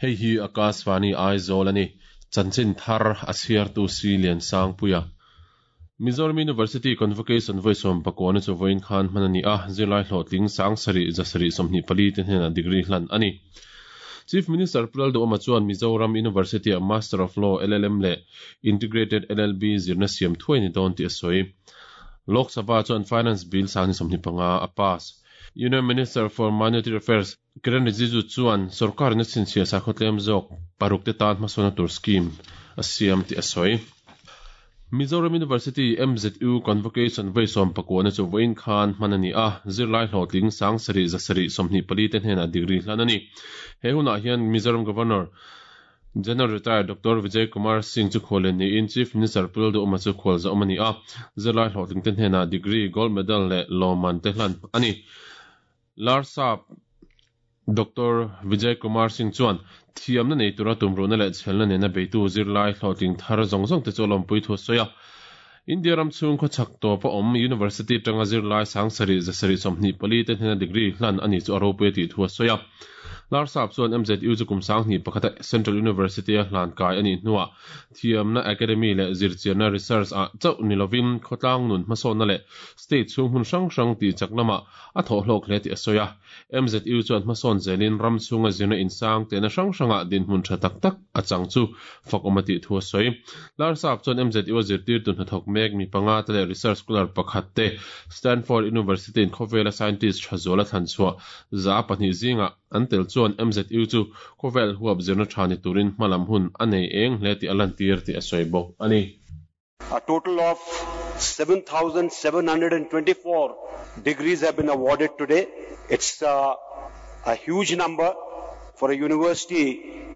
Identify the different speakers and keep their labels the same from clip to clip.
Speaker 1: Hei hi Akashvani Aizawl a ni. Chanchin thar a chhiartu Si Liansangpuia. Mizoram University Convocation vawi sawmpakuana chu vawiin khan hman a ni a, zirlai hlawhtling 7 724 te hnenah degree hlan a ni. Chief Minister Pu Lalduhawma chuan Mizoram University-ah Master of Law, LLM, leh Integrated LLB zirna siam thuai ni dawn tih a sawi. Lok Sabha chuan Finance Bill 2025 a pass. Union Minister for Minority Affairs Kiren Rijiju chuan sorkarin a chhinchhiah sakhaw tlem zawk paruk te tan hmasawnna tur scheme a siam tih a sawi. Mizoram University, MZU, Convocation vawi sawmpakuahna chu vawiin khan hman a ni a, zirlai hlawhtling 7 724 te hnenah degree hlan a ni. He hunah hian Mizoram Governor General Retired Doctor Vijay Kumar Singh chu khuallian niin Chief Minister Pu Lalduhawma chu khualzawm a ni a, zirlai hlawhtling te hnenah degree, gold medal leh lawmman te hlan a ni. Larsap Doctor Vijay Kumar Singh chuan thiamna nei tura tumruhna leh chhelna nena beitu zirlai hlawhtling thar zawng zawng te chu a lawmpui thu a sawi a. India ram chhung khawchhak tawpa awm University atanga zirlai 7 724 te hnena degree hlan a ni chu a ropui a tih thu a sawi a. Larsap chuan MZU chu kum 21 a Central University a hlan kai a nih hnuah thiamna academy leh zirchianna research ah chauh ni lovin khawtlang nun hmasawnna leh state chhung hmun hrang hrang tihchak lamah a thawh hlawk hle tih a sawi a. MZU chuan hmasawn zelin ram chhunga zirna insang tehna hrang hrangah dinhmun tha tak tak a chang chu fakawm a tih thu a sawi. Larsap chuan MZU a zirtirtu hnathawk mek mi panga te leh research scholar pakhat te Stanford University in khawvela scientist tha zual a thlan chhuah 200 zingah an tel chuan MZU chu khawvel huap zirna tha ni turin hmalam hun a nei eng hle tih a lantir tih a sawi bawk a ni.
Speaker 2: A total of 7,724 degrees have been awarded today. It's a, a huge number for a university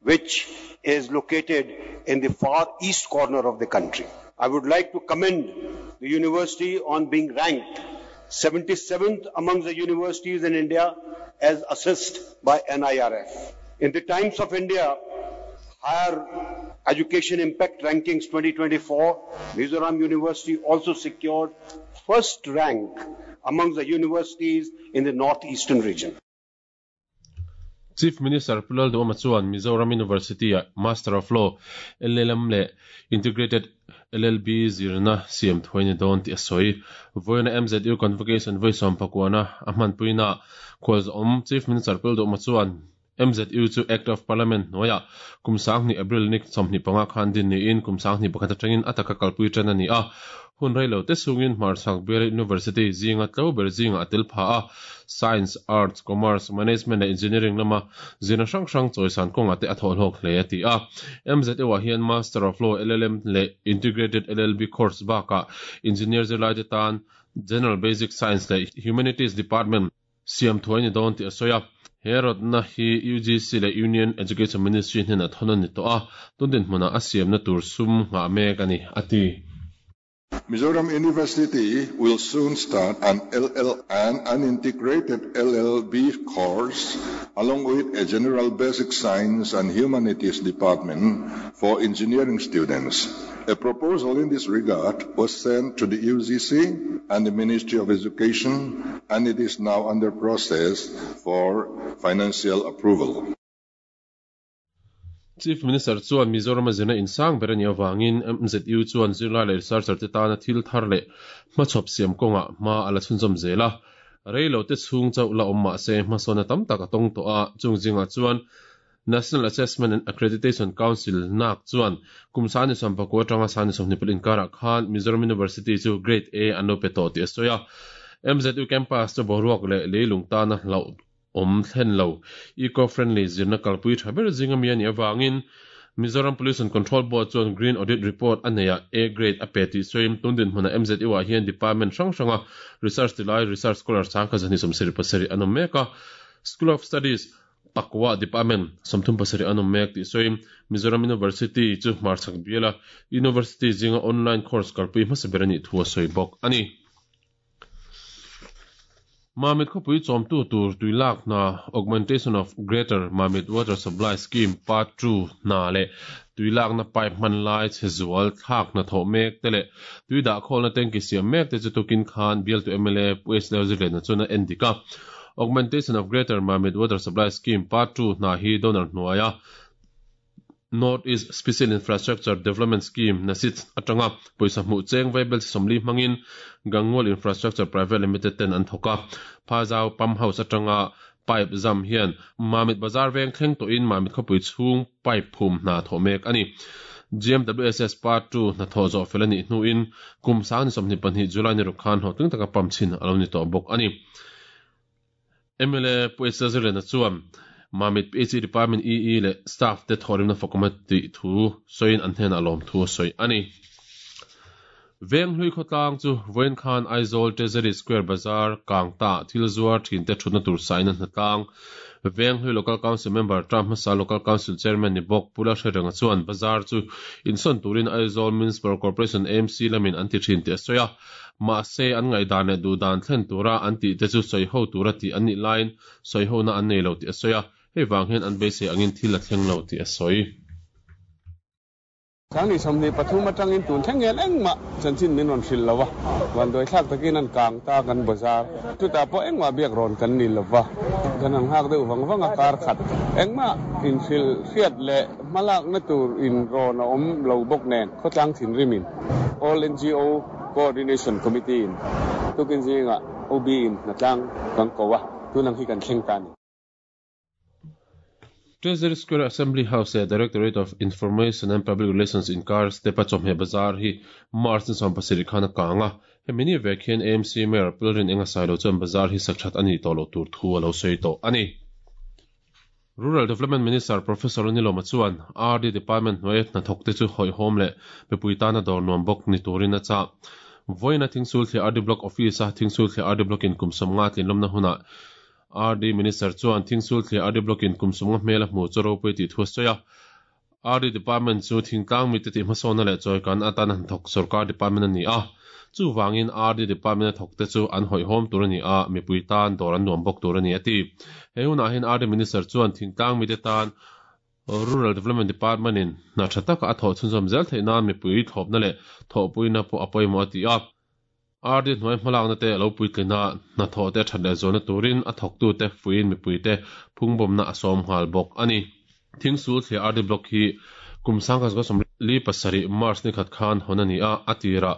Speaker 2: which is located in the far east corner of the country. I would like to commend the university on being ranked 77th among the universities in India as assessed by NIRF. In the Times of India, Higher Education Impact Rankings 2024, Mizoram University also secured first rank among the universities in the northeastern region.
Speaker 1: Chief Minister Pu Lalduhawma chuan Mizoram University-ah Master of Law, LLM, leh Integrated LLB zirna siam thuai ni dawn tih a sawi. Vawiina MZU Convocation vawi sawmpakuana a hmanpuinaah khualzawm Chief Minister Pu Lalduhawma chuan MZU chu Act of Parliament hnuaiah kum 2000 April ni 25 khan din niin kum 2001 atangin a taka kalpui tan a ni a. Hun rei lo te chungin Hmarchhak Bial University zinga tlo ber zingah a tel pha a, Science, Arts, Commerce, Management leh Engineering lama zirna hrang hrang chawisan kawngah te a thawhhlawk hle a ti a. MZU-ah hian Master of Law, LLM, leh Integrated LLB course bakah Engineer zirlaite tan General Basic Science leh Humanities Department siam thuai ni dawn tih a sawi a. He rawtna hi UGC leh Union Education Ministry hnenah thawn a ni tawh a, tun dinhmunah a siamna tur sum nghah mek a ni, a ti.
Speaker 3: Mizoram University will soon start an LL and an integrated LLB course along with a general basic science and humanities department for engineering students. A proposal in this regard was sent to the UGC and the Ministry of Education, and it is now under process for financial approval.
Speaker 1: Chief Minister chuan Mizoram-a zirna insang ber a nih avangin MZU chuan zirlai leh researcher te tana thil thar leh hmachhawp siam kawngah hma a la chhunzawm zel a. Rei lo te chhung chauh la awm mah se hmasawnna tam tak a tawng tawh a, chung zingah chuan National Assessment and Accreditation Council, NAAC, chuan kum 2019 atanga 2024 inkarah khan Mizoram University chu Grade A an lo pe tawh tih a sawi a. MZU campus chu boruak leh leilung tana hlauh awm thlen lo. Eco-friendly zirna kalpui tha ber zinga mi a nih avangin Mizoram Pollution Control Board chuan Green Audit Report a neiha A grade a pe tih sawiin tun dinhmunah MZU-ah hian department hrang hranga research tilai research scholar 127 an awm mek a, School of Studies Pakua department 37 an awm mek tih sawiin Mizoram University chu hmarchhak biala university zinga online course kalpui hmasa ber a nih thu a sawi bawk a ni. Mamit khawpui chawmtu tur tui lak hna Augmentation of Greater Mamit Water Supply Scheme Part 2 hna leh tui lakna pipe hman lai chhe zual thlak hna thawh mek te leh tui dah khawlna tanki siam mek te chu tukin khan bialtu mla Pu H Lalzirliana chuan a en dik a. Augmentation of Greater Mamit Water Supply Scheme Part 2 hna hi donor hnuaia. North East Special Infrastructure Development Scheme, NASIDS, atanga pawisa hmuh cheng vaibel chi 40 hmangin Gangual Infrastructure Private Limited ten an thawk a. Phazau Pump House atanga pipe zam hian Mamit Bazar veng thleng tawhin Mamit khawpui chhung pipe phum hna thawh mek a ni. GMWSS Part ii hnathawh zawh fel a nih hnuin kum sang ni 22 July ni ruk khan hlawhtling taka pump chhin a lo ni tawh bawk a ni. Mla Pu H Zirlena chuan Mamit PHE Department EE leh staff te thawhrimna fakawm a tih thu sawiin an hnenah lawmthu a sawi a ni. Venghlui khawtlang chu vawiin khan Aizawl Treasury Square Bazar Kangta thil zuar thinte thutna tur sain a hnatlang. Venghlui Local Council Member term hmasa Local Council Chairman ni bawk Pu Lalhrerenga chuan bazar chu insawn turin Aizawl Municipal Corporation, AMC, lamin an ti thin tih a sawi a. Mahse, an ngaihdan leh duhdan thlen tura an tih te chu sawiho tura tih an nih laiin sawihona an nei lo tih a sawi a, hei vang hian an beisei angin thil a thleng lo tih a sawi.
Speaker 4: Sangni 23 atangin tun thleng hian engmah chanchin min rawn hrilh lo a, vanduai thlak takin an kang ta kan bazar. Chutah pawh engmah biak rawn kan ni lo va, kan han nghak deuh vang vang a, kar khat engmah inhrilh hriat leh hmalakna tur inrawn a awm lo bawk nen khawtlang thinrimin All NGO Coordination Committee in tukin zingah OB in hnatlang kan ko a, tun ang hi kan thleng ta a ni.
Speaker 1: Treasury Square Assembly House leh Directorate of Information and Public Relations inkar step-a chawhmeh bazar hi March ni 17 khan a kang a. Hemi ni vek hian AMC Mayor Pulrin Enga Sailo chuan bazar hi sak that a nih tawh loh tur thu a lo sawi tawh a ni. Rural Development Minister Professor Nilawma chuan RD Department hnuaia hnathawkte chu hawihhawm leh mipui tana dawr nuam bawk ni turin a chah. Vawiina Thingsulthliah RD Block Office-a Thingsulthliah RD Block-in kum 50 tlinlawmna hunah RD Minister chuan Thingsulthliah RD Block-in kum 50 hmel a hmu chu ropui tih thu a sawi a. RD Department chu thingtlang mite tih hmasawnna leh chawikan atan a hnathawk sorkar department a ni a. Chuvangin RD Department a thawkte chu an hawihhawm tur a ni a, mipui tan dawr an nuam bawk tur a ni a ti. He hunah hian RD Minister chuan thingtlang mite tan Rural Development Department in hna tha taka a thawh chhunzawm zel theih nan mipui thlawpna leh thawhpuina pawh a pawimawh a ti a. RD hnuai hmalakna te lo puitlin a, hnathawh te that leh zualna turin a thawktute fuiin mipuite phungbawmna a sawm nghal bawk a ni. Thingsul thliah RD Block hi kum 1947 March ni khat khan hawn a ni a, a tirah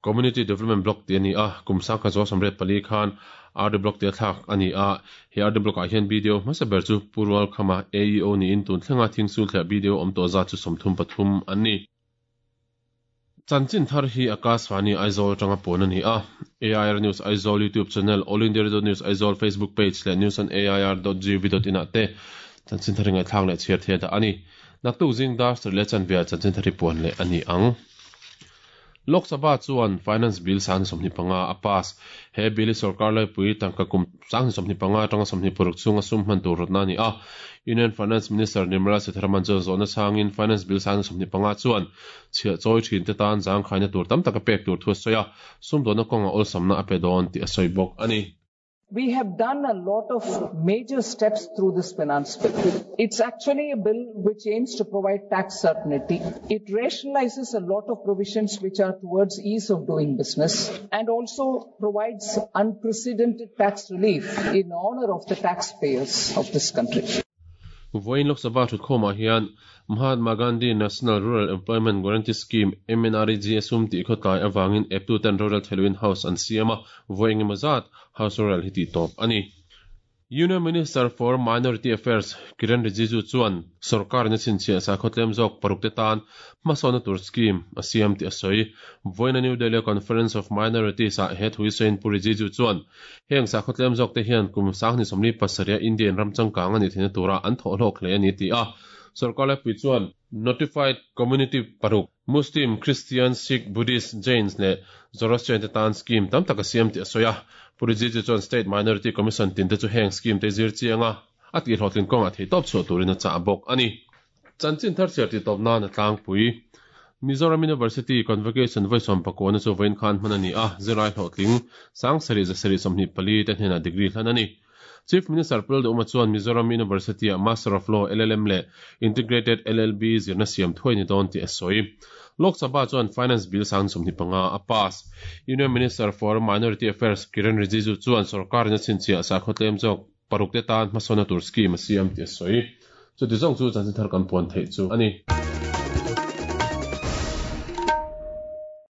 Speaker 1: Community Development Block tih a ni a, kum 1984 khan RD Block tih a thlak a ni a, he RD Block ah hian BDO hmasa ber chu Pu Rualkhama AEO niin tun thlenga Thingsul thliah BDO awm tawh zat chu 33 an ni. Chanchin thar hi Akashvani Aizawl atanga puan a ni a. AIR News Aizawl YouTube channel, All India Radio News Aizawl Facebook page leh news on air dot gov dot in ah te chanchin thar hi ngaihthlak leh chhiar thei a dah a ni. Naktuk zing dar sarih leh chanve ah chanchin thar hi puan leh a ni ang. Lok Sabha chuan Finance Bill 25 a pass. He bill hi sorkar laipui tangka kum 25 atanga 26 chhunga sum hman tur rawtna a ni a. Union Finance Minister Nirmala Sitharaman chuan zawhna chhangin Finance Bill 25 chuan chhiah chawi thinte tan zangkhaina tur tam tak a pek tur thu a sawi a, sumdawnna kawnga awlsamna a pe dawn tih a sawi bawk a ni.
Speaker 5: We have done a lot of major steps through this finance bill. It's actually a bill which aims to provide tax certainty. It rationalizes a lot of provisions which are towards ease of doing business and also provides unprecedented tax relief in honor of the taxpayers of this country.
Speaker 1: Vawiin Lok Sabha thutkhawmah hian Mahatma Gandhi National Rural Employment Guarantee Scheme, MNREGA, sum tih khawtlai avangin eptuten rorel theiloin House an siam a, vawi engemaw zat House rorel hi tih tawp a ni. Union Minister for Minority Affairs Kiren Rijiju chuan sorkarin a chhinchhiah sakhaw tlem zawk parukte tan hmasawnna tur scheme a siam tih a sawi. Vawiina New Delhi-a Conference of Minorities-ah he thu hi sawiin Pu Rijiju chuan heng sakhaw tlem zawkte hian kum 2037-a Indian ram changkang a nih theihna tura an thawhhlawk hle a ni ti a. Sorkar laipui chuan Notified Community paruk, Muslim, Christian, Sikh, Buddhist, Jains leh Zoroastrian te tan scheme tam tak a siam tih a sawi a. Pu Rijiju chuan State Minority Commission tin te chu heng scheme te zir chiang a, a tihhlawhtlin kawngah theihtawp chhuah turin a chah bawk a ni. Chanchin thar chhiar tih tawp nan a tlangpui. Mizoram University Convocation vawi sawmpakawna chu vawiin khan hman a ni a, zirlai hlawhtling 7 724 te hnenah degree hlan a ni. Chief Minister Pu Lalduhawma chuan Mizoram University-ah Master of Law, LLM, leh Integrated LLB zirna siam thuai ni dawn tih a sawi. Lok Sabha chuan Finance Bill 25 a pass. Union Minister for Minority Affairs Kiren Rijiju chuan sorkarin a chhinchhiah sakhaw tlem zawk paruk te tan hmasawnna tur scheme a siam tih a sawi. Chuti zawng chu chanchin thar kan puan theih chu a ni.